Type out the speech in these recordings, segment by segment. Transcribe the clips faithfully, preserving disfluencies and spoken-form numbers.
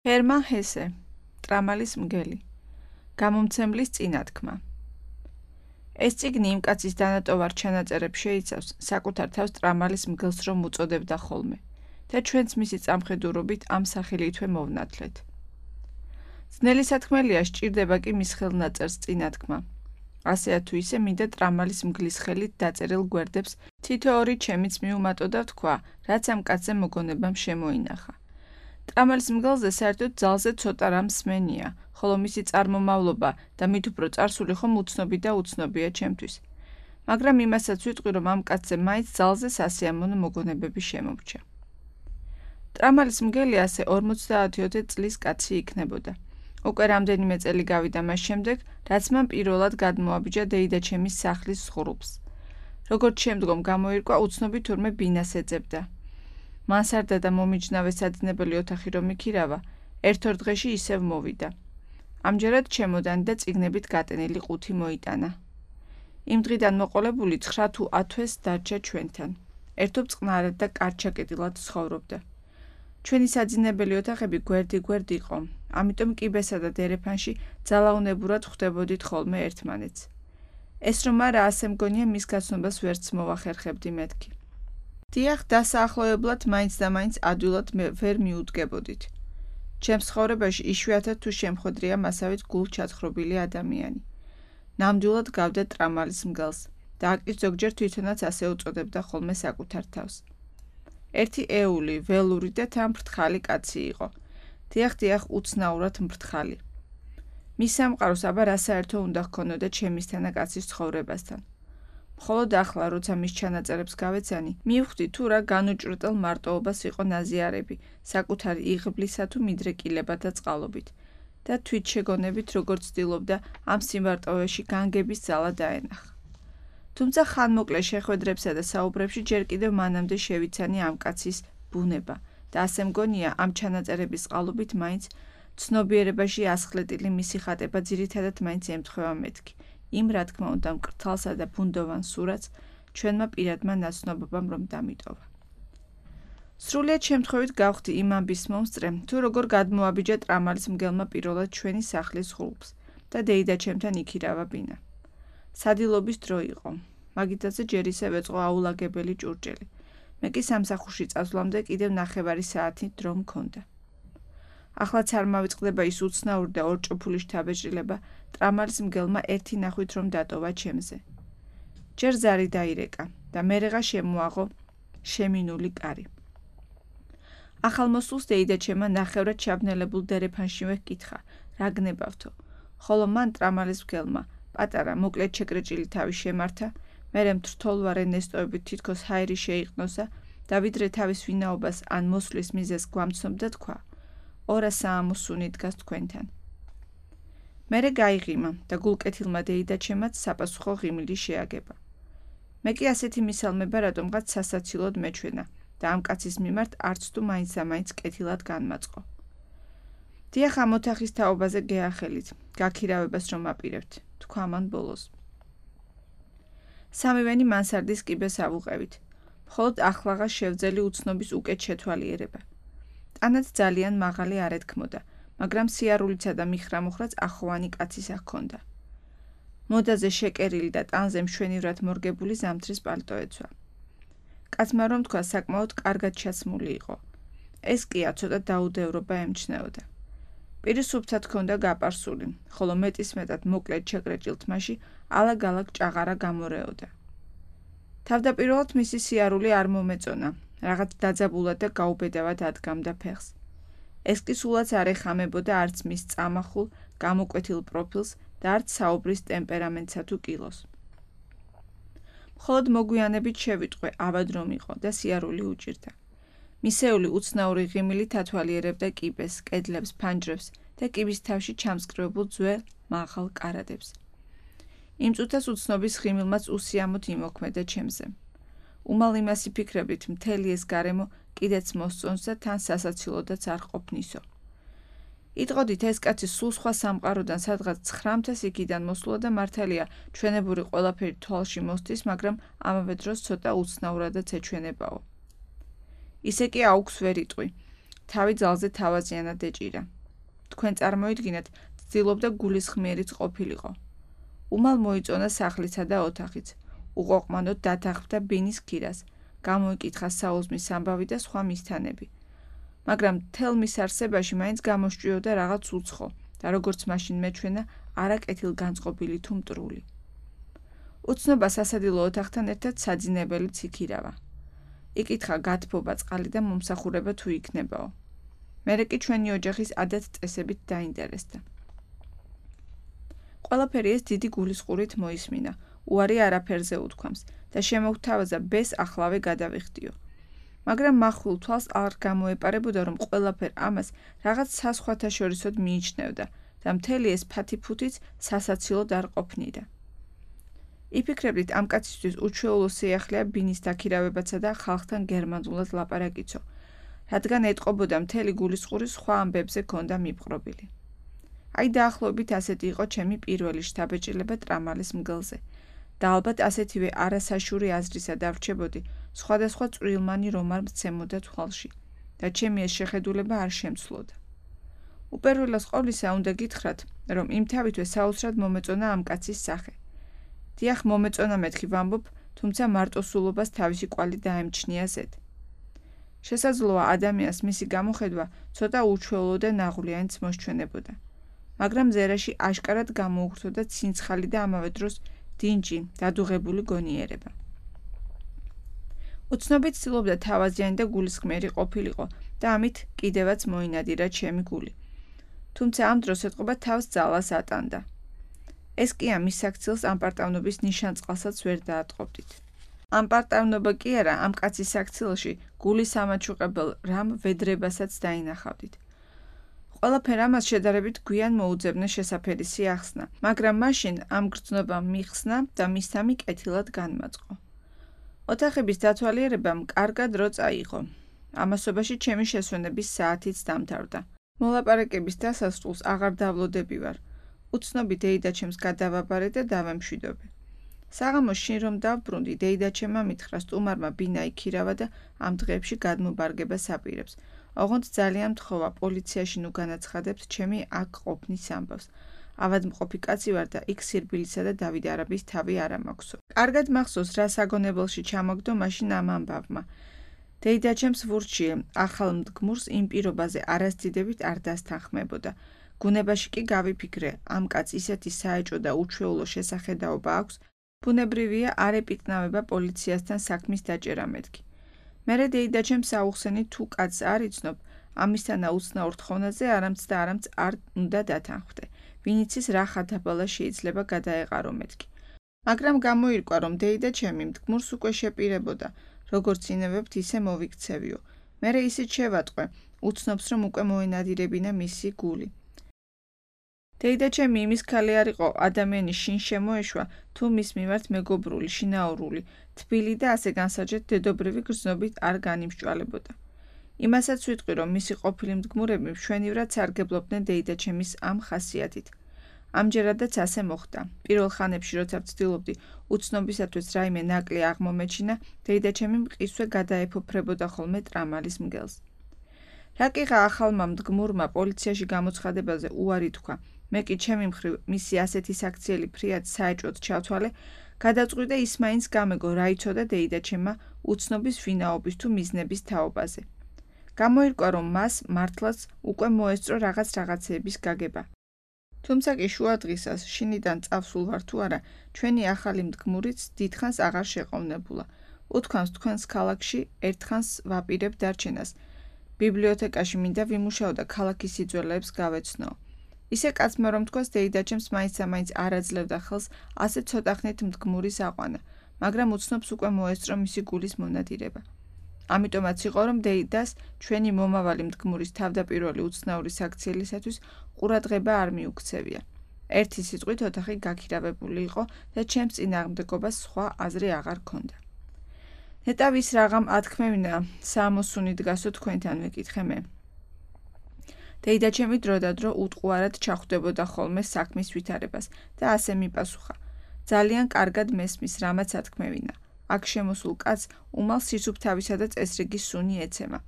ჰერმან ჰესე, ტრამალის მგელი, გამომცემლის წინათქმა. ეს წიგნი იმ კაცის დანატოვარ ჩანაწერებს შეიცავს, საკუთარ თავს ტრამალის მგელს რომ უწოდებდა ხოლმე და ჩვენც მისი წამხედურობით ამ სახელითვე მოვნათლეთ. ძნელი სათქმელია სჭირდება კი მის ხელნაწერს წინათქმა. ასეა თუ ისე მინდა ტრამალის მგლის ხელით დაწერილ გვერდებს თითო ორი ჩემიც მიუმატო და ვთქვა, რაც ამ კაცზე მოგონებამ შემოინახა. ტრამალის მგელზე საერთოდ ძალზე ცოტა რამ სმენია, ხოლო მისი წარმომავლობა და მით უფრო წარსული ხომ უცნობი და უცნობია ჩემთვის. მაგრამ იმასაც ვიტყვი, რომ ამ კაცზე მაინც ძალზე სასიამოვნო მოგონებები შემომრჩა. ტრამალის მგელი ასე ორმოცდაათი წლის კაცი იქნებოდა. უკვე რამდენიმე წელი გავიდა მას შემდეგ, რაც მან პირველად გადმოაბიჯა დეიდაჩემის სახლის ზღურბლს. როგორც შემდგომ გამოირკვა, უცნობი თურმე ბინას ეძებდა. მანსარდა და მომიჯნავე საძინებელი ოთახი რომ იქირავა, ერთ-ორ დღეში ისევ მოვიდა. ამჯერად ჩემოდანი და წიგნებით გატენილი ყუთი მოიტანა. იმ დღიდან მოყოლებული ცხრა თუ ათვეს დარჩა ჩვენთან. ერთობ წყნარად და კარჩაკეტილად ცხოვრობდა. ჩვენი საძინებელი ოთახები გვერდი-გვერდ იყო, ამიტომ კიბესა და დერეფანში ძალაუნებურად ხვდებოდით ხოლმე ერთმანეთს. ეს რომ არა, ასე მგონია მის გაცნობას ვერც მოვახერხებდი მეთქი. დიახ, დასაახლოებლად მაინც და მაინც ადვილად ვერ მიუდგებოდით. ჩემს ცხოვრებაში იშვიათად თუ შემხვედრია მასავით გულჩათხრობილი ადამიანი. ნამდვილად გავდა ტრამალის მგელს და აკის ზოგჯერ თვითონაც ასე უწოდებდა ხოლმე საკუთარ თავს. ერთი ეული, ველური და თან მფრთხალი კაცი იყო. დიახ, დიახ, უცნაურად მფრთხალი. მის სამყაროს აბა რა საერთო უნდა ჰქონოდა ჩემისთანა კაცის ცხოვრებასთან. მხოლოდ ახლა, როცა მის ჩანაწერებს გავეცანი, მივხვდი თუ რა განუჭრეტელ მარტოობას იყო ნაზიარები, საკუთარი იღბლისა თუ მიდრეკილებათა წყალობით და თვით შეგონებით, როგორც ცდილობდა ამ სიმარტოვეში განგების ძალა დაენახა. თუმცა ხანმოკლე შეხვედრებსა და საუბრებში ჯერ კიდევ მანამდე შევიცანი ამ კაცის ბუნება და ასე მგონია, ამ ჩანაწერების წყალობით მაინც ცნობიერებაში ასხლეტილი მისი ხატება ძირითადად მაინც ემთხვევა მეთქი. იმ რა თქმა უნდა მკრთალსა და ბუნდოვან სურათს ჩვენმა პირადმა ნაცნობობამ რომ დამიტოვა. სრულიად შემთხვევით გავხდი იმ ამბის მომსწრე, თუ როგორ გადმოაბიჯა ტრამალის მგელმა პირველად ჩვენი სახლის ზღურბლს და დეიდაჩემთან იქირავა ბინა. სადილობის დრო იყო. მაგიტაზე ჯერ ისევ ეწყო აულაგებელი ჭურჭელი. მე კი სამსახურში წასვლამდე კიდევ ნახევარი საათი დრო მქონდა. ახლაც არ მავიწყდება ის უცნაური და ორჭოფული შთაბეჭდილება, ტრამალის მგელმა ერთი ნახვით რომ დატოვა ჩემზე. ჯერ ზარი დაირეკა და მერეღა შემოაღო შემინული კარი. ახალმოსულს დეიდაჩემა ნახევრად ჩაბნელებულ დერეფანშივე ჰკითხა, რა გნებავთო, ხოლო მან ტრამალის მგელმა პატარა მოკლედ შეკრეჭილი თავი შემართა, მერე მთრთოლვარე ნესტოებით თითქოს ჰაერი შეიყნოსა და ვიდრე თავის ვინაობას ან მოსვლის მიზეზს გვამცნობდა თქვა, ორა საამოსუნი დგას თქვენთან. მერე გაიღიმა და გულკეთილმა დეიდაჩემაც საპასუხო ღიმილი შეაგება. მე კი ასეთი მისალმება რატომღაც სასაცილოდ მეჩვენა და ამ კაცის მიმართ არც თუ მაინც და მაინც კეთილად განმაწყო. დიახ, ამ ოთახის თაობაზე გეახელით, გაქირავებას რომ აპირებთ, თქვა მან ბოლოს. სამივენი მანსარდის კიბეს ავუყევით, მხოლოდ ახლაღა შევძელი უცნობის უკეთ შეთვალიერება. ტანაც ძალიან მაღალი არ ეთქმოდა, მაგრამ სიარულიცა და მიხრამოხრაც ახოვანი კაცისა ჰქონდა. მოდაზე შეკერილი და ტანზე მშვენივრად მორგებული ზამთრის პალტო ეცვა. კაცმა რომ თქვა, საკმაოდ კარგად ჩაცმული იყო. ეს კია ცოტა დაუდევრობა ემჩნეოდა. პირი სუფთად ჰქონდა გაპარსული, ხოლო მეტისმეტად მოკლედ შეკრეჭილ თმაში ალაგ-ალაგ ჭაღარა გამორეოდა. თავდაპირველად მისი სიარული არ მომეწონა, რაღაც დაძაბულად და გაუბედავად ადგამდა ფეხს. ეს კი სულაც არ ეხამებოდა არც მის წამახულ, გამოკვეთილ პროფილს და არც საუბრის ტემპერამენტსა თუ კილოს. მხოლოდ მოგვიანებით შევიტყვე, ავად რომ იყო და სიარული უჭირდა. მისეული უცნაური ღიმილით ათვალიერებდა კიბეს, კედლებს, ფანჯრებს და კიბის თავში ჩამსკრივებულ ძველ მაღალ კარადებს. იმ წუთას უცნობის ღიმილმაც უსიამოდ იმოქმედა ჩემზე. უმალ იმას იფიქრებით, მთელი ეს გარემო კიდეც მოსწონს და თან სასაცილოდაც არ ყოფნისო. იტყოდით, ეს კაცი სულ სხვა სამყაროდან სადღაც ცხრამთას იქიდან მოსულა და მართალია ჩვენებური ყველაფერი თვალში მოსდის, მაგრამ ამავე დროს ცოტა უცნაურადაც ეჩვენებაო. ისე კი აუქს ვერ იტყვი. თავი ძალზე თავაზიანად ეჭირა. თქვენ წარმოიდგინეთ, ცდილობდა გულისხმიერიც ყოფილიყო. უმალ მოიწონა სახლისა და ოთახიც. უყოყმანოდ დათანხმდა ბინის ქირას, გამოიკითხა საუზმის ამბავი და სხვა მისთანები. მაგრამ მთელ მის არსებაში მაინც გამოსჭიოდა რაღაც უცხო და როგორც მაშინ მეჩვენა, არა კეთილგანწყობილი თუ მტრული. უცნობა სასადილო ოთახთან ერთად საძინებელიც იქირავა. იკითხა გათბობა წყალი და მომსახურება თუ იქნებაო. მერე კი ჩვენი ოჯახის ადათ-წესებით დაინტერესდა. ყველაფერი ეს დიდი გულისყურით მოისმინა, უარი არაფერზე უთქვამს და შემოგთავაზა ბეს ახლავე გადავიხდიო. მაგრამ მახვილ თვალს არ გამოეპარებოდა, რომ ყველაფერ ამას რაღაც საზღვათაშორისოდ მიიჩნევდა და მთელი ეს ფათი-ფუთიც სასაცილოდ არ ყოფნიდა. იფიქრებდით, ამ კაცისთვის უჩვეულო სიახლეა ბინის დაქირავებაცა და ხალხთან გერმანულად ლაპარაკიცო, რადგან ეტყობოდა მთელი გულისყური სხვა ამბებზე ქონდა მიპყრობილი. აი დაახლოებით ასეთი იყო ჩემი პირველი შთაბეჭდილება ტრამალის მგელზე და ალბათ ასეთივე არასაშური აზრისა დავრჩებოდი, სხვადასხვა წვრილმანი რომ არ მცემოდა თვალში და ჩემი ეს შეხედულება არ შემცლოდა. უპირველეს ყოვლისა უნდა გითხრათ, რომ იმთავითვე საოცრად მომეწონა ამ კაცის სახე. დიახ, მომეწონა მეთქი ვამბობ, თუმცა მარტოსულობას თავისი კვალი დაემჩნია ზედ. შესაძლოა ადამიანს მისი გამოხედვა ცოტა უჩვეულო და ნაღვლიანიც მოსჩვენებოდა. მაგრამ ზერაში აშკარად გამოუხვრთოდა ცინცხალი და ამავე დროს დინჯი, დადუღებული გონიერება. უცნობით ცდილობდა თავაზიანი და გულისხმიერი ყოფილიყო და ამით კიდევაც მოინადირა ჩემი გული. თუმცა ამ დროს ეტყობა თავს ძალას ატანდა. ეს კი ამის საქციელს ამპარტავნობის ნიშანწყალსაც ვერ დაატყობდით. ამპარტავნობა კი არა, ამ კაცის საქციელში გულის ამაჩუყებელ რამ ვედრებასაც დაინახავდით. ყველაფერ ამას შედარებით გვიან მოუძებნე შესაფერისი ახსნა, მაგრამ მაშინ ამ გრძნობამ მიხსნა და მისამი კეთილად განმაწყო. ოთახების დათვალიერებამ კარგად დრო წაიღო. ამასობაში ჩემი შესვენების საათიც დამთავრდა. მოლაპარაკების დასასრულს აღარ დავლოდები ვარ. უცნობი დეიდაჩემს გადავაბარე და დავემშვიდობე. საღამოს შინ რომ დავბრუნდი, დეიდაჩემმა მითხრა სტუმარმა ბინა იქირავა და ამ დღეებში გადმობარგებას აპირებს. ოღონდ ძალიან მთხოვა პოლიციაში ნუ განაცხადებს ჩემი აქ ყოფნის ამბავს. ავადმყოფი კაცი ვარ და იქ სირბილისა და დავით არაბის თავი არ ამაქვსო. კარგად მახსოვს, რა საგონებელში ჩამოგდო მაშინ ამ ამბავმა. დეიდაჩემს ვურჩიე, ახალ მდგმურს იმ პირობაზე არასდიდებით არ დასთანხმებოდა. გუნებაში კი გავიფიქრე, ამ კაც ისეთი საეჭო და უჩვეულო შესახედაობა აქვს, ბუნებრივია არ ეპიკნავება პოლიციასთან საქმის დაჭერა მეთქი. მერე დეიდაჩემს აუხსენი თუ კაცს არ იცნობ, ამისთან აუცნაურ თხოვნაზე არამც და არამც არ უნდა დათანხმდე, ვინიცის რა ხათაბალა შეიძლება გადაეყარო მეთქი. მაგრამ გამოირკვა, რომ დეიდაჩემი მდგმურს უკვე შეპირებოდა, როგორც ინებებთ ისე მოვიქცევიო. მერე ისიც შევატყვე, უცნობს რომ უკვე მოენადირებინა მისი გული. დეიდაჩემი იმის ქალი არ იყო ადამიანი შინ შემოეშვა, თუ მის მიმართ მეგობრული, შინაურული, თბილი და ასე განსაჯეთ დედობრივი გრძნობით არ განიმსჭვალებოდა. იმასაც ვიტყვი, რომ მისი ყოფილი მდგმურები მშვენივრად სარგებლობდნენ დეიდაჩემის ამ ხასიათით. ამჯერადაც ასე მოხდა. პირველ ხანებში, როცა ვცდილობდი უცნობისათვის რაიმე ნაკლი აღმომეჩინა, დეიდაჩემი მყისვე გადაეფოფრებოდა ხოლმე ტრამალის მგელს. რაკიღა ახალმა მდგმურმა პოლიციაში გამოცხადებაზე უარი თქვა, მე კი ჩემი მხრივ მისი ასეთი საქციელი ფრიად საეჭვოდ ჩავთვალე, გადაწყვიტე ის მაინც გამეგო რა იცოდა დეიდაჩემმა უცნობის ვინაობის თუ მიზნების თაობაზე. გამოირკვა, რომ მას მართლაც უკვე მოესწრო რაღაც რაღაცეების გაგება. თუმცა კი შუა დღისას, შინიდან წავსულ ვარ თუ არა, ჩვენი ახალი მდგმურიც დიდხანს აღარ შეყოვნებულა. უთქვამს თქვენს ქალაქში ერთხანს ვაპირებ დარჩენას. ბიბლიოთეკაში მინდა ვიმუშაო და ქალაქის სიძველეებს გავეცნო. ისე კაცმა რომ თქვას დეიდაჩემს მაინც და მაინც არ აძლევდა ხელს ასე ცოტახნით მდგმურის აყვანა, მაგრამ უცნობს უკვე მოესწრო მისი გულის მონადირება. ამიტომაც იყო, რომ დეიდას ჩვენი მომავალი მდგმურის თავდაპირველი უცნაური საქციელისათვის ყურადღება არ მიუქცევია. ერთი სიტყვით ოთახი გაქირავებული იყო და ჩემს წინააღმდეგობას სხვა აზრი აღარ ქონდა. ნეტავის რაღამ ათქმევინა, სამოსუნი დგასო თქვენთან ვეკითხე მე. დეიდაჩემი დროდადრო უტყუარად ჩახვდებოდა ხოლმე საქმის ვითარებას და ასე მიპასუხა. ძალიან კარგად მესმის, რამაც ათქმევინა. აქ შემოსულ კაცს უმალ სისუფთავისა და წესრიგის სუნი ეცემა.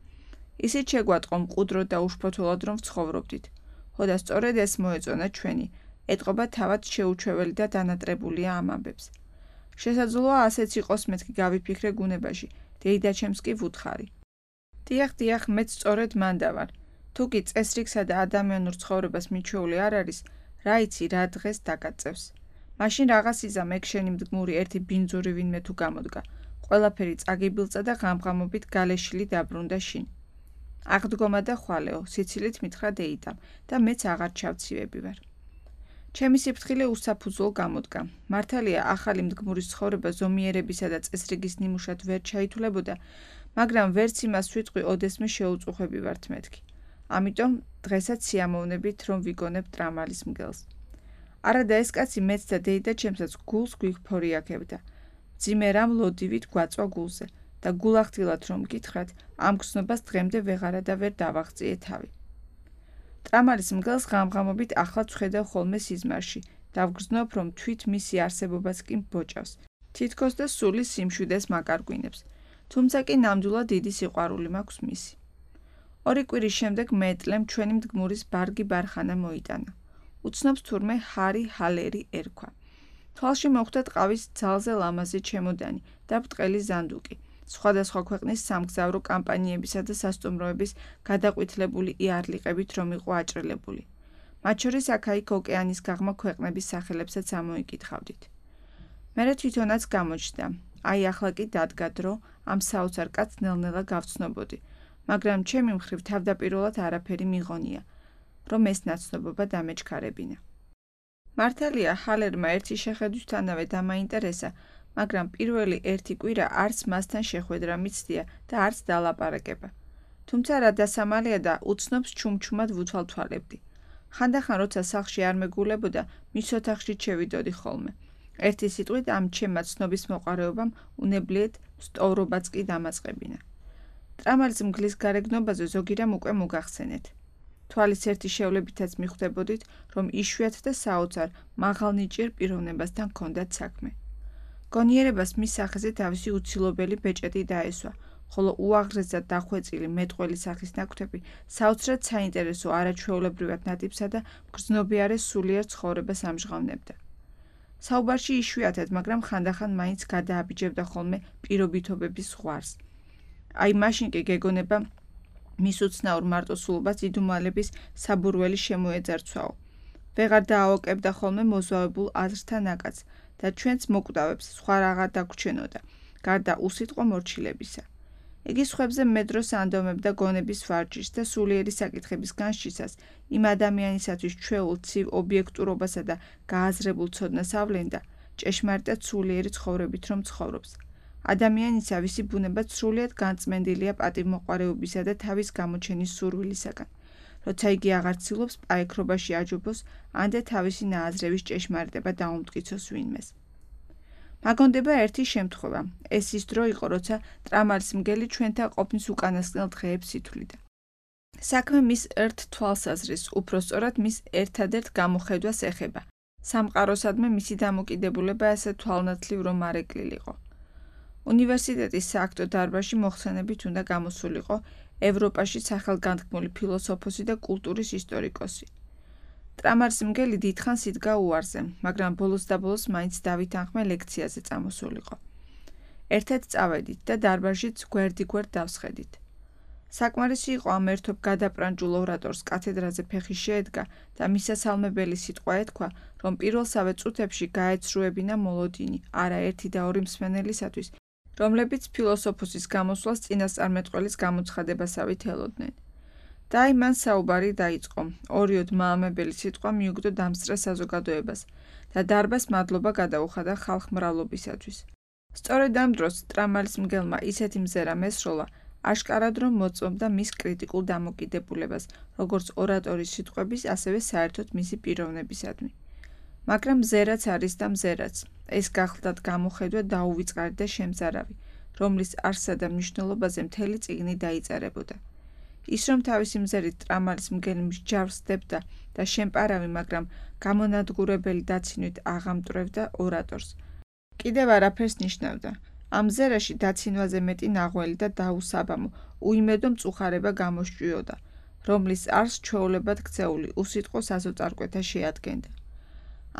ისიც შეგვატყო მყუდროდ და უშფოთველად რომ ვცხოვრობდით. ხო და სწორედ ეს მოეწონა ჩვენი, ეტყობა თავად შეუჩვეველი და დანატრებულია ამ ამბებს. შესაძლოა ასეც იყოს მეთქი გავიფიქრე გუნებაში, დეიდაჩემს კი ვუთხარი. დიახ, დიახ, მეც სწორედ მან დავარ. თუ კი წესრიგსა და ადამიანურ ცხოვრებას მიჩვეული არ არის, რა იცი რა დღეს დაგაწევს. მაშინ რაღაც იზამ ეგ შენი მდგმური ერთი ბინძური ვინმე თუ გამოდგა. ყველაფერი წაგიბილწა და ღამღამობით გალეშილი დაბრუნდა შინ. აღდგომა და ხვალეო, სიცილით მითხრა დეიდამ და მეც აღარ ჩავცივები ვარ. ჩემი სიფრთხილე უსაფუძვლო გამოდგა. მართალია ახალი მდგმურის ცხოვრება ზომიერებისა და წესრიგის ნიმუშად ვერ ჩაითვლებოდა, მაგრამ ვერც იმას ვიტყვი ოდესმე შეუწუხები ვართ მეთქი. ამიტომ დღესაც სიამოვნებით რომ ვიგონებ ტრამალის მგელს. არადა ეს კაცი მეც და დეიდა ჩემსაც გულს გვიქფორიაქებდა. მძიმე რამ ლოდივით გვაწვა გულზე და გულახდილად რომ გითხრათ, ამ გრძნობას დღემდე ვეღარა და ვერ დავაღწიე თავი. ტრამალის მგელს ღამღამობით ახლაც ვხედავ ხოლმე სიზმარში და ვგრძნობ, რომ თვით მისი არსებობაც კი მბოჭავს, თითქოს და სული სიმშვიდეს მაკარგვინებს, თუმცა კი ნამდვილად დიდი სიყვარული მაქვს მისი. ორი კვირის შემდეგ მეტლემ ჩვენი მდგმურის ბარგი ბარხანა მოიტანა. უცნობს თურმე ჰარი ჰალერი ერქვა. თვალში მოხვდა ტყავის ძალზე ლამაზი ჩემოდანი და ბრტყელი ზანდუკი, სხვადასხვა ქვეყნის სამგზავრო კამპანიებისა და სასტუმროების გადაყვითლებული იარლიყებით რომ იყო აჭრილებული. მათ შორის აქა-იქ ოკეანის გაღმა ქვეყნების სახელებსაც ამოიკითხავდით. მერე თვითონაც გამოჩნდა, აი ახლა კი დადგა დრო ამ საოცარ კაცს ნელ-ნელა გავცნობოდი, მაგრამ ჩემი მხრივ თავდაპირველად არაფერი მიღონია, რომ ეს ნაცნობობა დამეჩქარებინა. მართალია ჰალერმა ერთი შეხედვისთანავე დამაინტერესა, მაგრამ პირველი ერთი კვირა არც მასთან შეხვედრა მიცდია და არც დალაპარაკება. თუმცა რა დასამალია და უცნობს ჩუმჩუმად ვუთვალთვალებდი. ხანდახან როცა სახლში არ მეგულებოდა, მის ოთახში ჩევიდოდი ხოლმე. ერთი სიტყვით ამ ჩემმა ცნობის მოყარეობამ უნებლიეთ სტოვრობაც კი დამაწყებინა. ტრამალის მგლის გარეგნობაზე ზოგი რამ უკვე მოგახსენეთ. თვალის ერთი შევლებითაც მიხვდებოდით, რომ იშვიათ და საოცარ მაღალნიჭიერ პიროვნებასთან ჰქონდათ საქმე. გონიერებას მის სახეზე თავისი უცილობელი ბეჭედი დაესვა, ხოლო უაღრესად დახვეწილი მეტყველი სახის ნაკვთები საოცრად საინტერესო არაჩვეულებრივად ნატიფსა და მგრძნობიარე სულიერ ცხოვრებას ამჟღავნებდა. საუბარში იშვიათად, მაგრამ ხანდახან მაინც გადააბიჯებდა ხოლმე პირობითობების ზღვარს. აი მაშინ კი გეგონება მის უცნაურ მარტოსულობას იდუმალების საბურველი შემოეძარცვაო. ვეღარ დააოკებდა ხოლმე მოზავებულ აზრთა ნაკადს და ჩვენც მოკვდავებს სხვა რაღაც დაგვრჩენოდა, გარდა უსიტყვო მორჩილებისა. იგი სხვებზე მედროს ანდომებდა გონების ვარჯიშს და სულიერი საკითხების განშისას იმ ადამიანისათვის ჩვეულ ცივ ობიექტურობასა და გააზრებულ ცოდნას ავლენდა, ჭეშმარიტად სულიერი ცხოვრებით რომ ცხოვრობს. ადამიანისა ვისი ბუნება სრულიად განწმენდილია პატივმოყვარეობისა და თავის გამოჩენის სურვილისაგან, როცა იგი აღარ ცდილობს პაექრობაში აჯობოს, ამდე თავისი ნააზრევის ჭეშმარიტება დაუმტკიცოს ვინმეს. მაგონდება ერთი შემთხვევა, ეს ის დრო იყო, როცა ტრამალის მგელი ჩვენთან ყოფნის უკანასკნელ დღეებს ითვლიდა. საქმე მის ერთ თვალსაზრის, უფრო სწორად მის ერთადერთ გამოხედვას ეხება. სამყაროსადმე მისი დამოკიდებულება ასე თვალნათლივ რომ არ ეკლილიყო. უნივერსიტეტის სააქტო დარბაზში მოხსენებით უნდა გამოსულიყო ევროპაში სახელგანთქმული ფილოსოფოსი და კულტურის ისტორიკოსი. ტრამალის მგელი დიდხანს იდგა უარზე, მაგრამ ბოლოს და ბოლოს მაინც დავითანხმე ლექციაზე წამოსულიყო. ერთად წავედით და დარბაზშიც გვერდიგვერდ დავსხედით. საკმარისი იყო ამ ერთობ გადაპრანჭულ ორატორს კათედრაზე ფეხი შეედგა და მისასალმებელი სიტყვა ეთქვა, რომ პირველსავე წუთებში გაეცრუებინა მოლოდინი, არა ერთი და ორი მსმენელისათვის, რომლებიც ფილოსოფოსის გამოსვლას წინასწარმეტყველის გამოცხადებასავით ელოდნენ. და აი მან საუბარი დაიწყო, ორიოდ მაამებელი სიტყვა მიუგდო დამსწრე საზოგადოებას და დარბაზს მადლობა გადაუხადა ხალხმრავლობისათვის. სწორედ ამ დროს ტრამალის მგელმა ისეთი მზერა მესროლა, აშკარად რომ მოწმობდა მის კრიტიკულ დამოკიდებულებას, როგორც ორატორის სიტყვების, ასევე საერთოდ მისი პიროვნებისადმი. მაგრამ მზერაც არის და მზერაც, ეს გახლდათ გამოხედვა დაუვიწყარი და შემზარავი, რომლის არსსა და მნიშვნელობაზე მთელი წიგნი დაიწერებოდა. ის რომ თავისი მზერით ტრამალის მგელი მსჯავრსდებდა და შემპარავი, მაგრამ გამონადგურებელი დაცინვით აღამტვრევდა ორატორს. კიდევ არაფერს ნიშნავდა. ამ მზერაში დაცინვაზე მეტი ნაღველი და დაუსაბამო, უიმედო მწუხარება გამოსჭვიოდა, რომლის არს ჩვეულებად ქცეული უსიტყვო საზოწარკვეთა შეადგენდა.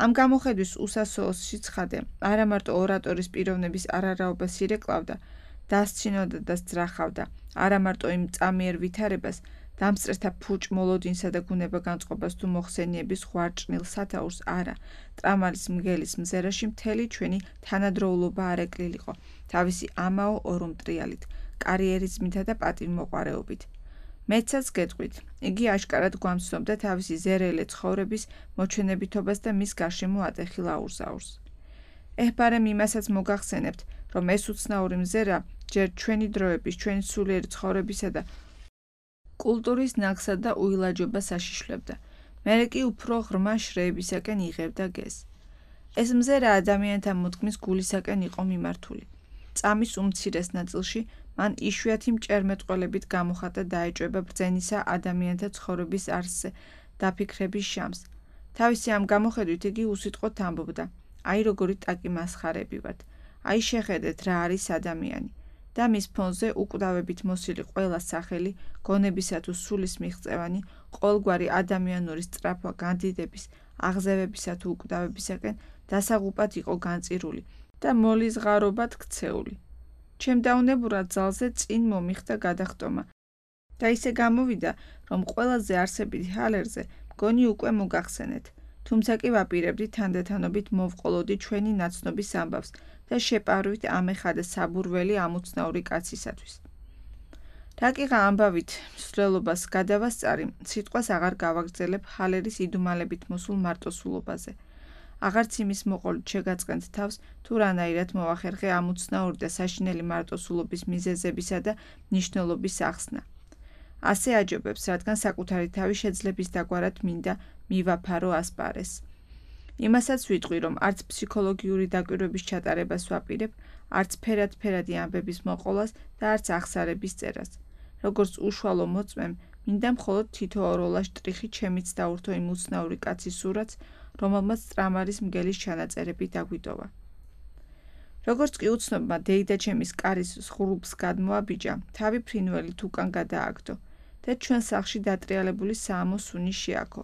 ამ გამოხედვის უსასოოსში ცხადე, არა მარტო ორატორის პიროვნების არარაობას ირეკლავდა, დასცინოდა და სძრახავდა, არა მარტო იმ წამიერ ვითარებას, დამსწრეთა ფუჭ მოლოდინსა და გუნება განწყობას თუ მოხსენიების ღვარჭნილ სათაურს არა, ტრამალის მგელის მზერაში მთელი ჩვენი თანადროულობა არ ეკლილიყო, თავისი ამაო ორუმტრიალით, კარიერიზმითა და პატივმოყვარეობით. მეცაც გეტყვით, იგი აშკარად გვამცნობდა თავისი ზერელე ცხოვრების მოჩვენებითობას და მის გარშემო ატეხილ აურზაურს. ეჰბარემ იმასაც მოგახსენებთ, რომ ეს უცნაური მზერა ჯერ ჩვენი დროების, ჩვენი სულიერი ცხოვრებისა და კულტურის ნაქსად და უილაჯობას აშიშვლებდა, მერე კი უფრო ღრმა შრეებისაკენ იღებდა გეზს. ეს მზერა ადამიანთა მოდგმის გულისაკენ იყო მიმართული. წამის უმცირეს ნაწილში მან იშვიათი მჭერმეტყველებით გამოხატა დაეჭვება ბრძენისა ადამიანთა ცხოვრების არსზე დაფიქრების შამს. თავისი ამ გამოხედვით იგი უსიტყვოდ ამბობდა, აი როგორი ტაკი მასხარები ვართ, აი შეხედეთ რა არის ადამიანი. და მის ფონზე უკვდავებით მოსილი ყველა სახელი, გონებისა თუ სულის მიღწევანი, ყოველგვარი ადამიანური სწრაფვა განდიდების, აღზევებისა თუ უკვდავებისაკენ დასაღუპად იყო განწირული და მოლიზღარობად ქცეული. ჩემ დაუნებურად ძალზე წინ მომიხდა გადახტომა და ისე გამოვიდა, რომ ყველაზე არსებითი ჰალერზე მგონი უკვე მოგახსენეთ, თუმცა კი ვაპირებდი თანდათანობით მოვყოლოდი ჩვენი ნაცნობის ამბავს და შეპარვით ამეხადა საბურველი ამოცნაური კაცისათვის. რაკიღა ამბავით მსვლელობას გადავასწარი, სიტყვას აღარ გავაგრძელებ ჰალერის იდუმალებით მოსულ მარტოსულობაზე. აღარც იმის მოყოლით შეგაწყენთ თავს, თუ რანაირად მოვახერხე ამოცნაური და საშინელი მარტოსულობის მიზეზებისა და მნიშვნელობის ახსნა. ასე აჯობებს, რადგან საკუთარი თავი შეძლების დაგვარად მინდა მივაფარო ასპარეს. იმასაც ვიტყვი, რომ არც ფსიქოლოგიური დაკვირვების ჩატარებას ვაპირებ, არც ფერად-ფერადი ამბების მოყოლას და არც ახსარების წერას. როგორც უშუალო მოწმემ, მინდა მხოლოდ თითო ოროლა შტრიხი ჩემიც დაურთო იმ უცნაური კაცის სურათს, რომელმაც ტრამალის მგელის ჩანაწერები დაგვიტოვა. როგორც კი უცნობმა დეიდაჩემის კარის ზღურბლს გადმოაბიჯა, თავი ფრინველით უკან გადააგდო და ჩვენ სახლში დატრიალებული საამო სუნი შეაქო.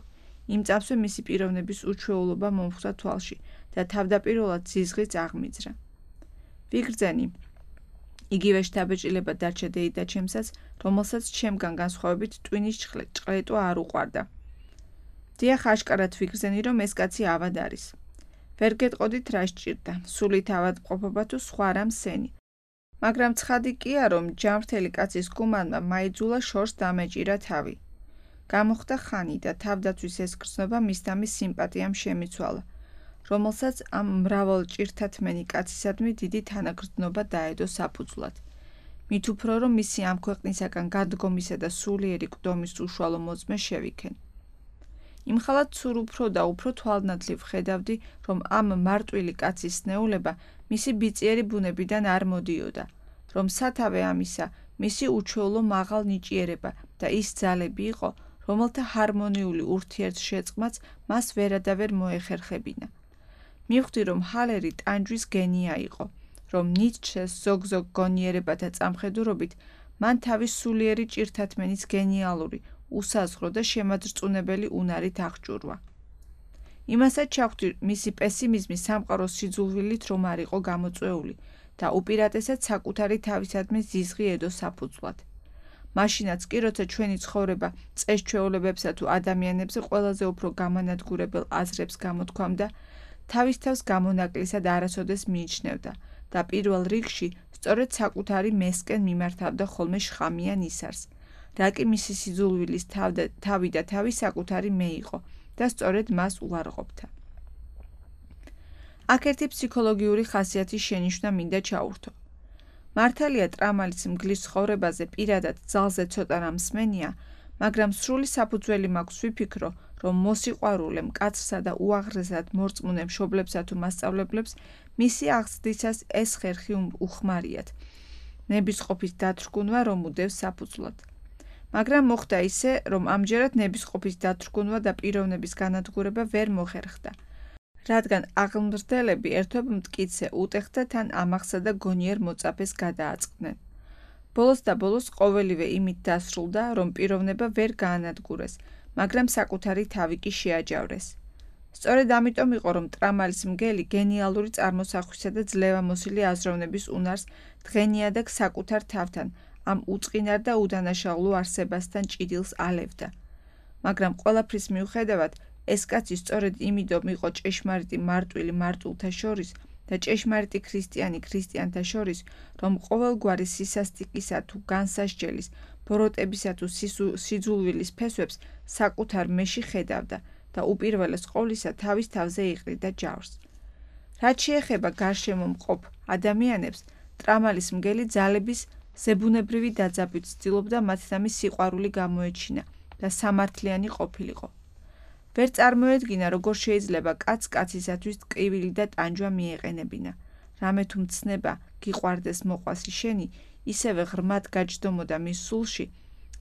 იმ წამსვე მისი პიროვნების უჩვეულობა მომხვდა თვალში და თავდაპირველად ზიზღიც აღმიძრა. ვიგრძენი, იგივე შთაბეჭდილება დარჩა დეიდაჩემსაც, რომელსაც ჩემგან განსხვავებით ტვინის ჭყლეტვა არ უყვარდა. დიახ, აშკარად ვიგრძენი, რომ ეს კაცი ავად არის. ვერ გეტყოდით რა სჭირდა, სულით ავადმყოფობა თუ სხვა რამ სენი. მაგრამ ცხადი კია, რომ ჯანმრთელი კაცის გუმანმა მაიძულა შორს დამეჭირა თავი. გამოხდა ხანი და თავდაცვის ეს გრძნობა მისდამის სიმპათიამ შემიცვალა, რომელსაც ამ მრავალ ჭირთათმენი კაცისადმი დიდი თანაგრძნობა დაედო საფუძვლად. მით უფრო, რომ მისი ამ ქვეყნისაგან გადგომისა და სულიერი კვდომის უშუალო მოწმე შევიქენ. იმხალად სულ უფრო და უფრო თვალნათლივ ხედავდი, რომ ამ მარტვილი კაცის სნეულება მისი ბიწიერი ბუნებიდან არ მოდიოდა, რომ სათავე ამისა მისი უჩვეულო მაღალ ნიჭიერება და ის ძალები იყო, რომელთა ჰარმონიული ურთიერთშეწყმაც მას ვერადავერ მოეხერხებინა. მივხვდი, რომ ჰალერი ტანჯვის გენია იყო, რომ ნიცშეს ზოგ-ზოგ გონიერებათა წამხედურობით მან თავის სულიერი ჭირთათმენის გენიალური, უსაზღრო და შემაძრწუნებელი უნარით აღჭურვა. იმასაც ჩავხვდი მისი პესიმიზმი სამყაროს სიძულვილით რომ არ იყო გამოწვეული და უპირატესად საკუთარი თავისადმი ზიზღიედო საფუძვლად. მაშინაც კი, როცა ჩვენი ცხოვრება წესჩვეულებებსა თუ ადამიანებზე ყველაზე უფრო გამანადგურებელ აზრებს გამოთქვამდა, თავის თავს გამონაკლისად არასოდეს მიიჩნევდა და პირველ რიგში სწორედ საკუთარი მესკენ მიმართავდა ხოლმე შხამიან ისარს, რა კი მისი სიძულვილის თავი და თავი საკუთარი მე იყო და სწორედ მას უარყოფდა. აქ ერთი ფსიქოლოგიური ხასიათის შენიშვნა მინდა ჩაურთო. მართალია ტრამალის მგლის ცხოვრებაზე პირადად ძალზე ცოტა რამ მსმენია, მაგრამ სრული საფუძველი მაქვს ვიფიქრო, რომ მოსიყვარულე მკაცრსა და უაღრესად მორწმუნე მშობლებსა თუ მასწავლებლებს მისი აღზრდისას ეს ხერხი უხმარიათ, ნებისყოფის დათრგუნვა რომ უდევს საფუძვლად. მაგრამ მოხდა ისე, რომ ამჯერად ნებისყოფის დათრგუნვა და პიროვნების განადგურება ვერ მოხერხდა, რადგან აღმზრდელები ერთობ მტკიცე, უტეხთა თან ამახსა და გონიერ მოწაფეს გადააწყდნენ. ბოლოს და ბოლოს ყოველივე იმით დასრულდა, რომ პიროვნება ვერ გაანადგურეს, მაგრამ საკუთარი თავი კი შეაჯავრეს. სწორედ ამიტომ იყო, რომ ტრამალის მგელი გენიალური წარმოსახვისა და ძლევამოსილი აზროვნების უნარს დღენიადაგ საკუთარ თავთან, ამ უწყინარ და უდანაშაულო არსებასთან ჭიდილს ალევდა. მაგრამ ყველაფრის მიუხედავად, ეს კაცი სწორედ იმიდომ იყო ჭეშმარიტი მარტვილი მარტვილთა შორის და ჭეშმარიტი ქრისტიანი ქრისტიანთა შორის, რომ ყოველგვარი სისასტიკისა თუ განსასჯელის, ბოროტებისა თუ სიძულვილის ფესვებს საკუთარ მეში ხედავდა და უპირველეს ყოვლისა თავის თავზე იყრიდა ჯავრს. რაც შეეხება გარშემო მყოფ ადამიანებს, ტრამალის მგელი ძალების ზებუნებრივი დაძაბვით ცდილობდა მათთამი სიყვარული გამოეჩინა და სამართლიანი ყოფილიყო. ვერ წარმოედგინა, როგორ შეიძლება კაცს კაცისათვის ტკივილი და ტანჯვა მიეყენებინა. რამე თუ მცნება გიყვარდეს მოყვასი შენი, ისევე ღრმად გაჯდომოდა მის სულში,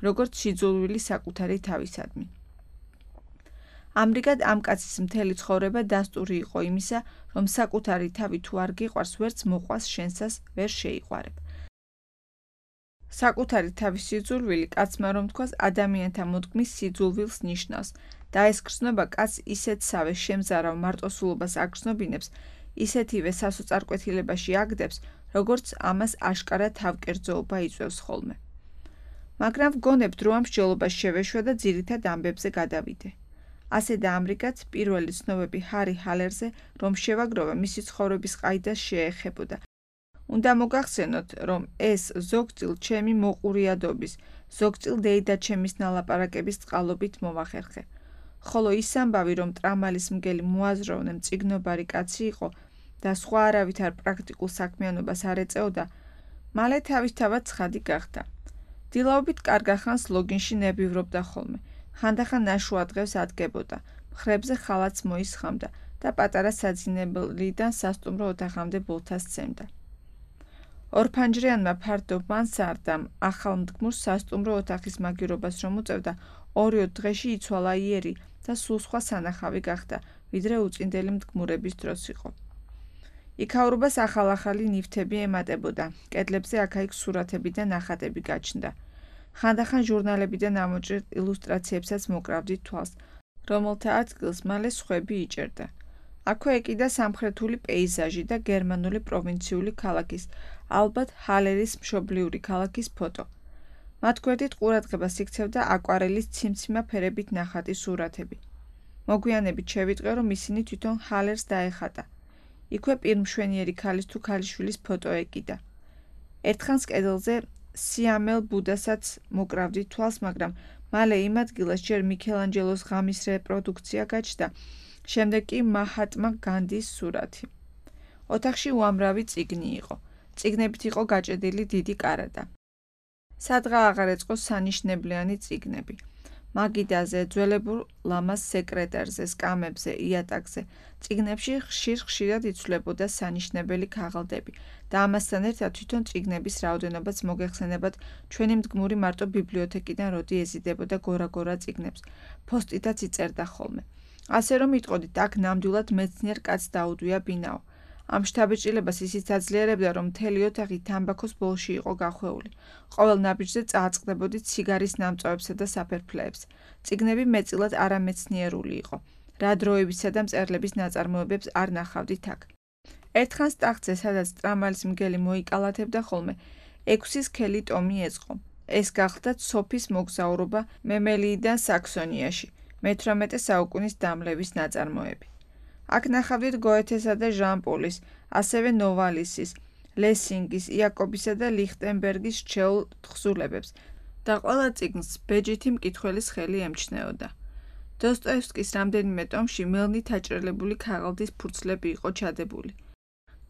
როგორც სიძულვილი საკუთარი თავისადმი. ამრიგად ამ კაცის მთელი ცხოვრება დასტური იყო იმისა, რომ საკუთარი თავი თუ არ გიყვარს, ვერც მოყვას შენსას ვერ შეიყვარებ. საკუთარი თავის სიძულვილი კაცმა რომ თქვას ადამიანთა მოდგმის სიძულვილს ნიშნავს და ეს გრძნობა კაცს ისეთსავე შემზარავ მარტოსულობას აგრძნობინებს, ისეთივე სასოწარკვეთილებაში აგდებს, როგორც ამას აშკარა თავკერძოობა იწვევს ხოლმე. მაგრამ ვგონებთ, რომ ამ მსჯელობას შევეშვა და ძირითად ამბებზე გადავიდე. ასე და ამრიგად პირველი ცნობები ჰარი ჰალერზე, რომ შევაგროვე მისი ცხოვრების ყაიდას შეეხებოდა. უნდა მოგახსენოთ, რომ ეს ზოგწილ ჩემი მოყურიადობის, ზოგწილ დეიდაჩემის ნალაპარაკების წყალობით მოვახერხე. ხოლო ის ამბავი, რომ ტრამალის მგელი მოაზროვნე მწიგნობარი კაცი იყო და სხვა არავითარ პრაქტიკულ საქმიანობას არ ეწეოდა, მალე თავისთავად ცხადი გახდა. დილაობით კარგახანს ლოგინში ნებივრობდა ხოლმე, ხანდახან ნაშუა დღეს ადგებოდა, მხრებზე ხალათს მოისხამდა და პატარა საძინებლიდან სასტუმრო ოთახამდე ბოლთას სცემდა. ორფანჯრიანმა ფართო მანსარდამ ახალმდგმურს სასტუმრო ოთახის მაგირობას რომ უწევდა, ორი-ოთხ დღეში იცვალა იერი და სულ სხვა სანახავი გახდა, ვიდრე უწინდელი მდგმურების დროს იყო. იქაურობას ახალ-ახალი ნივთები ემატებოდა, კედლებზე აქა-იქ სურათები და ნახატები გაჩნდა. ხანდახან ჟურნალებიდან ამოჭრილ ილუსტრაციებსაც მოკრავდით თვალს, რომელთა ადგილს მალე სხვები იჭერდა. აქვე ეკიდა სამხრეთული პეიზაჟი და გერმანული პროვინციული ქალაქის, ალბათ ჰალერის მშობლიური ქალაქის ფოტო. მათ გვერდით ყურადღებას იქცევდა აკვარელის ციმციმა ფერებით ნახატი სურათები. მოგვიანებით შევიტყვე, რომ ისინი თვითონ ჰალერს დაეხატა. იქვე პირმშვენიერი ქალის თუ ქალიშვილის ფოტო ეკიდა. ერთხანს კედელზე სიამელ ბუდასაც მოკრავდით თვალს, მაგრამ მალე იმ ადგილას ჯერ მიქელანჯელოს ღამის რეპროდუქცია გაჩნდა, შემდეგ კი მაჰატმა განდის სურათი. ოთახში უამრავი წიგნი იყო. წიგნებით იყო გაჭედილი დიდი კარადა. სადღა აღარ ეწყო სანიშნებლიანი წიგნები. მაგიდაზე, ძველებურ ლამას სეკრეტარზე, სკამებზე, იატაკზე, წიგნებში ხშირ-ხშირად იცვლებოდა სანიშნებელი ქაღალდები და ამასთან ერთად თვითონ წიგნების რაოდენობაც მოგეხსენებათ ჩვენი მდგმური მარტო ბიბლიოთეკიდან როდი ეზიდებოდა გორა-გორა წიგნებს, ფოსტითაც იწერდა ხოლმე. ასე რომ იტყოდით, აქ ნამდვილად მეცნიერ კაცს დაუდვია ბინაო. ამ შთაბეჭდილებას ისიც აძლიერებდა, რომ მთელი ოთახი თამბაქოს ბოლში იყო გახვეული. ყოველ ნაბიჯზე წააწყდებოდით სიგარის ნამწვავებსა და საფერფლეებს. წიგნები მეტწილად არამეცნიერული იყო. რა დროებისა და მწერლების ნაწარმოებებს არ ნახავდით აქ. ერთხანს ტახტზე, სადაც ტრამალის მგელი მოიკალათებდა ხოლმე, ექვსი სქელი ტომი ეწყო. ეს გახლდათ სოფის მოგზაურობა მემელიიდან საქსონიაში, მეთვრამეტე საუკუნის დამლევის ნაწარმოები. აქ ნახავდით გოეთესა და ჟან-პოლის, ასევე ნოვალისის, ლესინგის, იაკობისა და ლიხტენბერგის რჩეულ თხზულებებს და ყველა წიგნს ბეჯითი მკითხველის ხელი ემჩნეოდა. დოსტოევსკის რამდენიმე ტომში მელნით აჭრელებული ქაღალდის ფურცლები იყო ჩადებული.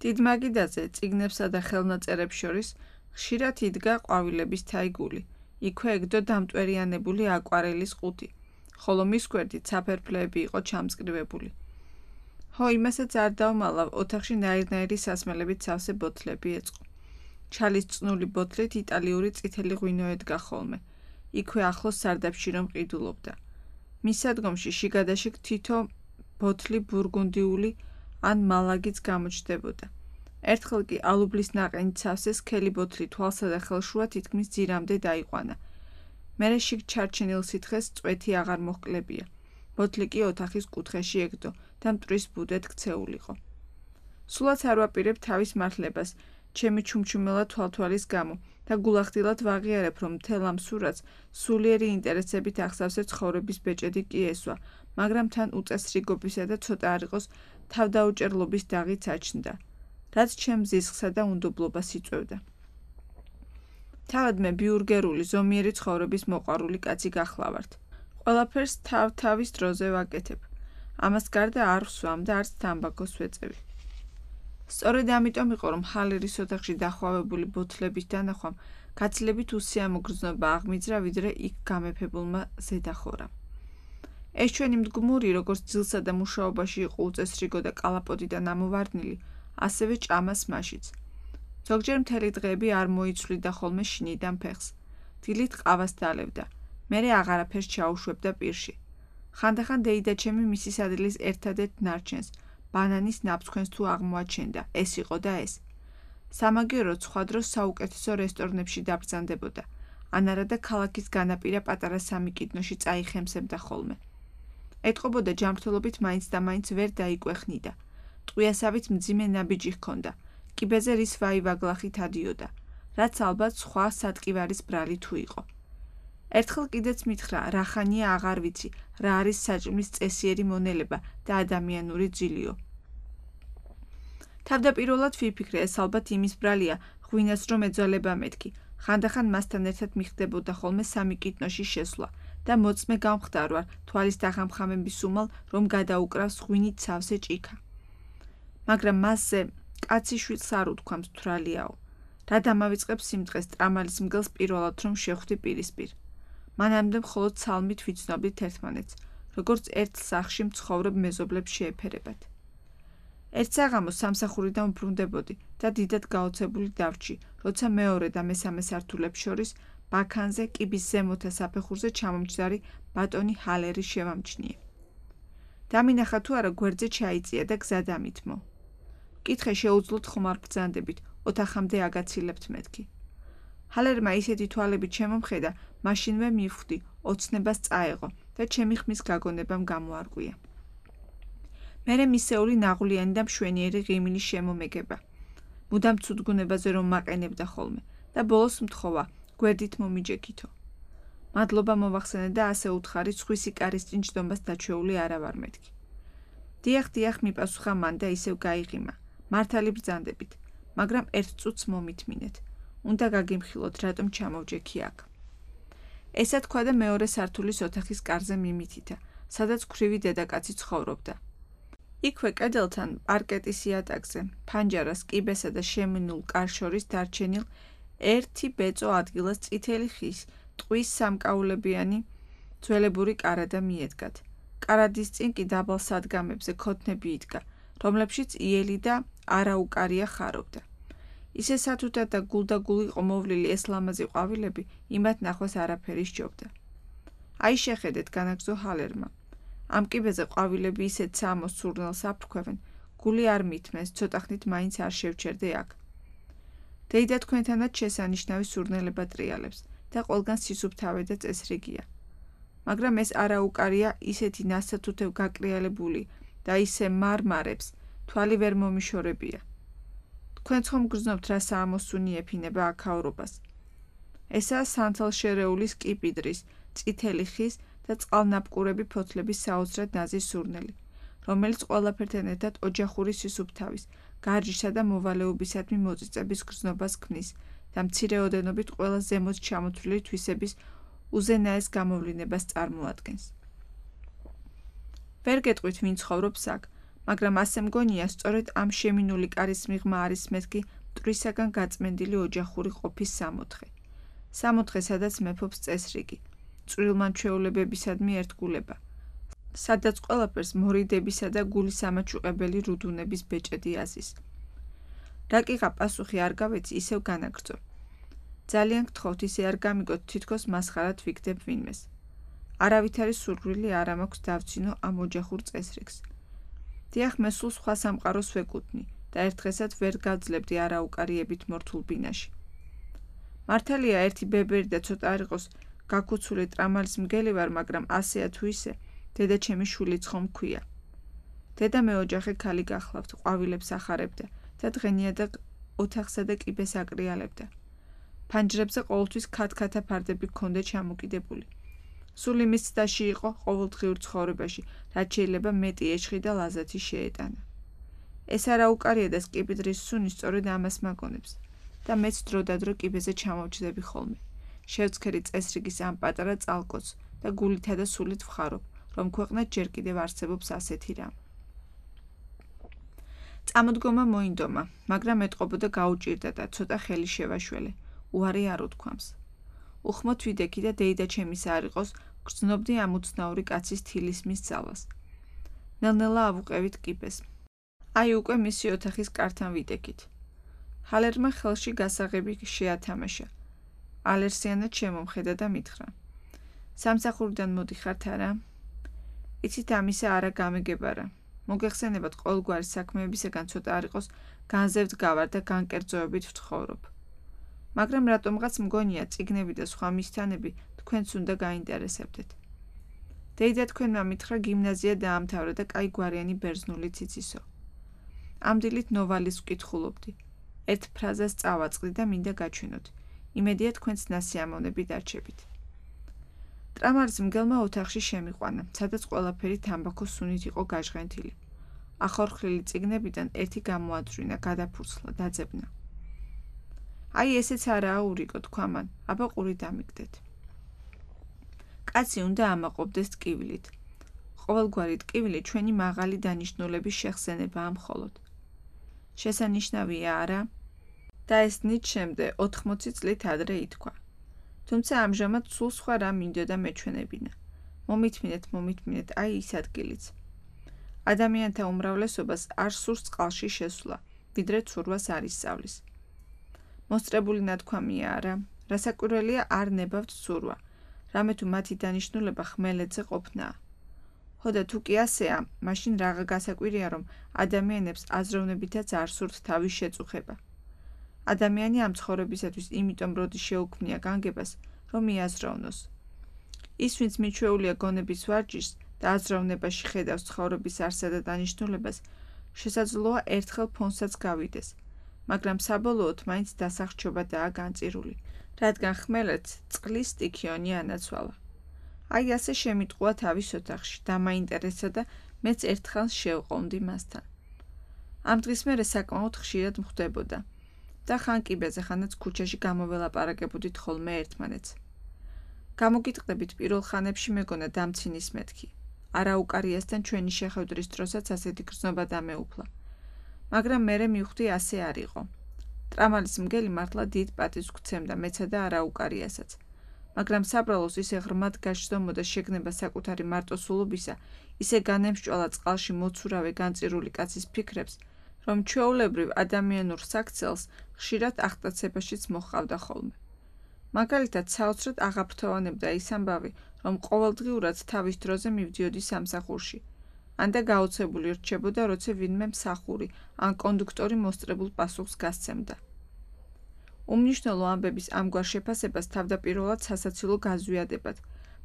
დიდ მაგიდაზე, წიგნებსა და ხელნაწერებს შორის ხშირად იდგა ყვავილების თაიგული, იქვე ეგდო დამტვერიანებული აკვარელის ყუთი, ხოლო მის გვერდით საფერფლეები იყო ჩამწკრივებული. ხო, იმასაც არ დავმალავ, ოთახში ნაირ-ნაირი სასმელებით სავსე ბოთლები ეწყო. ჩალის წნული ბოთლით იტალიური წითელი ღვინო ედგა ხოლმე, იქვე ახლოს სარდაფში რომ ყიდულობდა. მის სადგომში შიგადაშიგ თითო ბოთლი ბურგუნდიული ან მალაგიც გამოჩნდებოდა. ერთხელ კი ალუბლის ნაყენით სავსე სქელი ბოთლი თვალსა და ხელშუა თითქმის ძირამდე დაიყვანა. მერე შიგ ჩარჩენილ სითხეს წვეთი აღარ მოჰკლებია. ბოთლი კი ოთახის კუთხეში ეკდო და მტვრის ბუდეთ ქცეულიყო. სულაც არ ვაპირებ თავის მართლებას, ჩემი ჩუმჩუმელა თვალთვალის გამო და გულახდილად ვაღიარებ, რომ მთელ ამ სურათს სულიერი ინტერესებით ახსავსე ცხოვრების ბეჭედი კი ესვა, მაგრამ თან უწესრიგობისა და ცოტა არ იყოს თავდაუჭერლობის დაღიც აჩნდა, რაც ჩემს ზიზღსა და უნდობლობას იწვევდა. თავად მე ბიურგერული ზომიერი ცხოვრების მოყვარული კაცი გახლავართ. ყველაფერს თავ-თავის დროზე ვაკეთებ. ამას გარდა არ ვსვამ და არც თამბაქოს ვეწევი. სწორედ ამიტომ იყო, რომ ჰალერის ოთახში დახვავებული ბოთლების დანახვამ გაცილებით უსიამო გრძნობა აღმიძრა, ვიდრე იქ გამეფებულმა ზედახორამ. ეს ჩვენი მდგმური, როგორც ძილსა და მუშაობაში იყო უწესრიგო და კალაპოტიდან ამოვარდნილი, ასევე ჭამას მაშიც. ზოგჯერ მთელი დღეები არ მოიცვლიდა ხოლმე შინიდან ფეხს. დილით ყავას დალევდა. მერე აღარაფერს ჩაუშვებდა პირში. ხანდახან დეიდა ჩემი მისის ადგილის ერთადერთ ნარჩენს, ბანანის ნაფსქვენს თუ აღმოაჩენდა, ეს იყო და ეს. სამაგიეროდ სხვა დროს საუკეთესო რესტორნებში დაბრძანდებოდა, ან არა და ქალაქის განაპირა პატარა სამიკიდნოში წაიხემსებდა ხოლმე. ეტყობოდა ჯანმრთელობით მაინც და მაინც ვერ დაიკვეხნიდა. ტყვიასავით მძიმე ნაბიჯი ჰქონდა, კიბეზე რის ვაივაგლახით ადიოდა, რაც ალბათ სხვა სატკივარის ბრალი თუ იყო. ერთხელ კიდეც მითხრა, რა ხანია აღარ ვიცი, რა არის საჭმლის წესიერი მონელება და ადამიანური ძილიო. თავდაპირველად ვიფიქრე, ეს ალბათ იმის ბრალია, ღვინას რომ ეძალება მეთქი. ხანდახან მასთან ერთად მიხდებოდა ხოლმე სამიკიდნოში შესვლა და მოწმე გამხდარვარ თვალის დახამხამების უმალ, რომ გადაუკრავს ღვინით სავსე ჭიქა. მაგრამ მასზე კაცი შვილს არ უთქვამს თვრალიაო. რა დამავიწყებს სიმწყეს ტრამალის მგელს პირველად რომ შეხვდი პირისპირ. მანამდე მხოლოდ ცალმით ვიცნობდით ერთმანეთს, როგორც ერთ სახლში მცხოვრებ მეზობლებს შეეფერებათ. ერთ საღამოს სამსახურიდან ვბრუნდებოდი და დიდად გაოცებული დავრჩი, როცა მეორე და მესამე სართულებს შორის ბაქანზე კიბის ზემოთა საფეხურზე ჩამომჯდარი ბატონი ჰალერი შევამჩნიე. დამინახა თუ არა გვერდზე ჩაიწია და გზა დამითმო. კითხე შეუძლოთ ხომ არ ბრძანდებით, ოთახამდე აგაცილებთ მეთქი. ჰალერმა ისეთი თვალებით შემომხედა, მაშინვე მივხვდი, ოცნებას წაეღო და ჩემი ხმის გაგონებამ გამოარღვია. მერე მისეული ნაღვლიანი და მშვენიერი ღიმილი შემომეგება. მუდამ ცუდგუნებაზე რომ მაყენებდა ხოლმე და ბოლოს მთხოვა, გვერდით მომიჯექითო. მადლობა მოვახსენე და ასე უთხარი სხვისი კარის წინ ჯდომას დაჩვეული არა ვარ მეთქი. დიახ, დიახ, მიპასუხა მან და ისევ გაიღიმა. მართალი ბრძანდებით, მაგრამ ერთ წუთს მომითმინეთ. უნდა გაგიმხილოთ, რატომ ჩამოვჯექი აქ. ესა თქვა და მეორე სართულის ოთახის კარზე მიმითითა, სადაც ქვრივი დედაკაცი ცხოვრობდა. იქვე კედელთან პარკეტის იატაკზე, ფანჯარას, კიბესა და შემინულ კარს შორის დარჩენილ ერთი ბეწო ადგილას წითელი ხის, ტყვის სამკაულებიანი ძველებური კარადა მიედგათ. კარადის წინ კი დაბალ სადგამებზე ქოთნები იდგა, რომლებშიც იელი და არაუკარია ხარობდა. ისე სათუთად და გულდაგული ყომოვლილი ეს ლამაზი ყვავილები იმათ ნახვას არაფერი სჯობდა. აი შეხედეთ, განაგზო ჰალერმა. ამ კიბეზე ყვავილები ისეთ სამოს სურნელს აფრქვევენ, გული არ მithმეს, ცოტახნით მაინც არ შევჩერდე აქ. დეიდა თქვენთანაც შესანიშნავი სურნელება ტრიალებს და ყველგან სისუფთავე და წესრიგია. მაგრამ ეს არაუკარია ისეთი ნასათუთევ გაკრიალებული და ისე მარმარებს, თვალი ვერ მომიშორებია. თქვენც ხომ გრძნობთ რა საამოსუნი ეფინება აქაურობას. ესაა სანთელშერეულის კიპიდრის, წითელი ხის და წყალნაბყურები ფოთლების საოცრად ნაზი სურნელი, რომელიც ყველაფერთან ერთად ოჯახური სისუფთავის, გარჯისა და მოვალეობისადმი მოწიწების გრძნობას ქმნის და მცირე ოდენობით ყველა ზემოთ ჩამოთვლილი თვისების უზენაეს გამოვლინებას წარმოადგენს. ვერ გეტყვით ვინ ცხოვრობს აქ, მაგრამ ასე მგონია, სწორედ ამ შემინული კარის მიღმა არის მეთქი მტვრისაგან გაწმენდილი ოჯახური ყოფის სამოთხე. სამოთხე, სადაც მეფობს წესრიგი, წვრილმანჩვეულებებისადმი ერთგულება, სადაც ყველაფერს მორიდებისა და გულის ამაჩუყებელი რუდუნების ბეჭედი აზის. რა კიღა პასუხი არ გავეცი, ისევ განაგრძო. ძალიან გთხოვთ, ისე არ გამიგოთ, თითქოს მასხარად ვიგდებ ვინმეს. არავითარი სურვილი არ მაქვს დავძინო ამ ოჯახურ წესრიგს. დიახ, მე სულ სხვა სამყაროს ვეკუთვნი, და ერთ დღესაც ვერ გავძლებდი არაუკარიებით მორთულ ბინაში. მართალია ერთი ბებერი და ცოტა არ იყოს გაქუცული ტრამალის მგელი ვარ, მაგრამ ასეა თუ ისე, დედა ჩემი შვილიც ხომ მქვია. დედა მეოჯახე ქალი გახლავთ, ყვავილებს ახარებდა და დღენიადად ოთახსა და კიბეს აკრიალებდა. ფანჯრებზე ყოველთვის ქათქათა ფარდები ჰქონდა ჩამოკიდებული. სულ იმის ცდაში იყო ყოველდღიურ ცხოვრებაში, რაც შეიძლება მეტი ეშხი და ლაზათი შეეტანა. ეს არაუკარია და სკიპიდრის სუნი სწორედ ამას მაგონებს და მეც დროდადრო კიბეზე ჩამოვჯდები ხოლმე. შევცქერი წესრიგის ამ პატარა წალკოც და გულითა და სულით ვხარობ, რომ ქვეყნად ჯერ კიდევ არსებობს ასეთი რამ. წამოდგომა მოინდომა, მაგრამ ეტყობოდა გაუჭირდა და ცოტა ხელი შევაშველე, უარი არ უთქვამს. უხმოდ ვიდექი და დეიდა ჩემის არ იყოს, გრძნობდი ამ უცნაური კაცის თილისმის ძალას. ნელ-ნელა ავუყევით კიბეს. აი უკვე მისი ოთახის კართან ვიდექით. ჰალერმა ხელში გასაღები შეათამაშა. ალერსიანად შემომხედა და მითხრა. სამსახურიდან მოდიხართ არა? იცით ამისა არა გამეგებარა. მოგეხსენებათ ყოველგვარი საქმეებისაგან ცოტა არ იყოს განზევთ გავარ და განკერძოებით ვთხოვრობ. მაგრამ რატომღაც მგონია წიგნები და სხვა მისთანები თქვენც უნდა გაინტერესებდეთ. დეიდა თქვენმა მითხრა გიმნაზია დაამთავრა და კაი გვარიანი ბერძნულიც იცისო. ამ დილით ნოვალის ვკითხულობდი. ერთ ფრაზას წავაწყდი და მინდა გაჩვენოთ. იმედია თქვენც ნასიამოვნები დარჩებით. ტრამალის მგელმა ოთახში შემიყვანა, სადაც ყველაფერი თამბაქოს სუნით იყო გაჟღენთილი. ახორხლილი წიგნებიდან ერთი გამოაძვრინა, გადაფურცლა, დაძებნა. აი ესეც არაა ურიკო, თქვა მან, აბა ყური დამიგდეთ. კაცი უნდა ამაყობდეს ტკივილით. ყოველგვარი ტკივილი ჩვენი მაღალი დანიშნულების შეხსენებაა მხოლოდ. შესანიშნავია არა? და ეს ნიჩემდე ოთხმოცი წლით ადრე ითქვა. თუმცა ამჟამად სულ სხვა რამ მინდოდა მეჩვენებინა. მომითმინეთ, მომითმინეთ, აი ის ადგილიც. ადამიანთა უმრავლესობას არ სურს წყალში შესვლა, ვიდრე ცურვას არ ისწავლის. მოსწრებული ნათქვამია არა, რასაკვირველია არ ნებავთ ცურვა, რამე თუ მათი დანიშნულება ხმელეთზე ყოფნაა. ხო და თუ კი ასეა, მაშინ რაღა გასაკვირია, რომ ადამიანებს აზროვნებითაც არ სურთ თავის შეწუხება. ადამიანი ამ ცხოვრებისათვის იმიტომ როდი შეუქმნია განგებას, რომ მიაზროვნოს. ის, ვინც მიჩვეულია გონების ვარჯიშს და აზროვნებაში ხედავს ცხოვრების არსა და დანიშნულებას, შესაძლოა ერთხელ ფონსაც გავიდეს, მაგრამ საბოლოოდ მაინც დასახჩობადაა განწირული, რადგან ხმელეთს წყლის სტიქიონი ანაცვალა. აი ასე შემიტყუა თავის ოთახში, დამაინტერესა და მეც ერთხელ შევყოვნდი მასთან. ამ დღის მერე საკმაოდ ხშირად მხვდებოდა. და ხან კიბეზე, ხანაც ქუჩაში გამოველაპარაკებოდით ხოლმე ერთმანეთს. გამოგიტყდებით პირველ ხანებში მეგონა დამცინის მეთქი. არაუკარიასთან ჩვენი შეხვედრის დროსაც ასეთი გრძნობა დამეუფლა. მაგრამ მერე მივხვდი ასე არ იყო. ტრამალის მგელი მართლა დიდ პატივს გვცემდა მეცა და არაუკარიასაც. მაგრამ საბრალოს ისე ღრმად გაშდომოდა შეგნება საკუთარი მარტოსულობისა, ისე განემსჭვალა წყალში მოცურავე განწირული კაცის ფიქრებს, რომ ჩვეულებრივ ადამიანურ საქცელს ხშირად აღტაცებაშიც მოჰყავდა ხოლმე. მაგალითად, საოცრად აღაფრთოვანებდა ის ამბავი, რომ ყოველდღიურად თავის დროზე მივდიოდი სამსახურში. ან და გაოცებული რჩებოდა, როცა ვინმე მსახური ან კონდუქტორი მოსწრებულ პასუხს გასცემდა. უმნიშვნელო ამბების ამგვარ შეფასებას თავდაპირველად სასაცილო გაზვიადებად,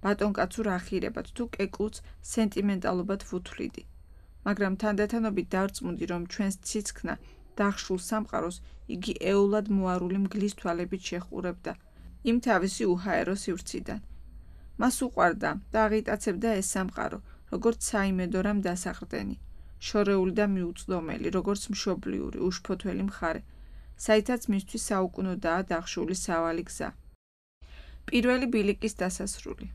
ბატონკაცურ ახირებად თუ კეკლუც სენტიმენტალობად ვუთვლიდი. მაგრამ თანდათანობით დავწმუნდი, რომ ჩვენს ციცქნა დახშულ სამყაროს იგი ეულად მოარული მგლის თვალებით შეჰყურებდა იმ თავისი უჰაერო სივრციდან. მას უყვარდა და აღიტაცებდა ეს სამყარო, როგორც საიმედო რამ დასაყრდენი, შორეული და მიუწვდომელი, როგორც მშობლიური, უშფოთველი მხარე, საითაც მისთვის საუკუნოდაა დახშული სავალი გზა. პირველი ბილიკის დასასრული.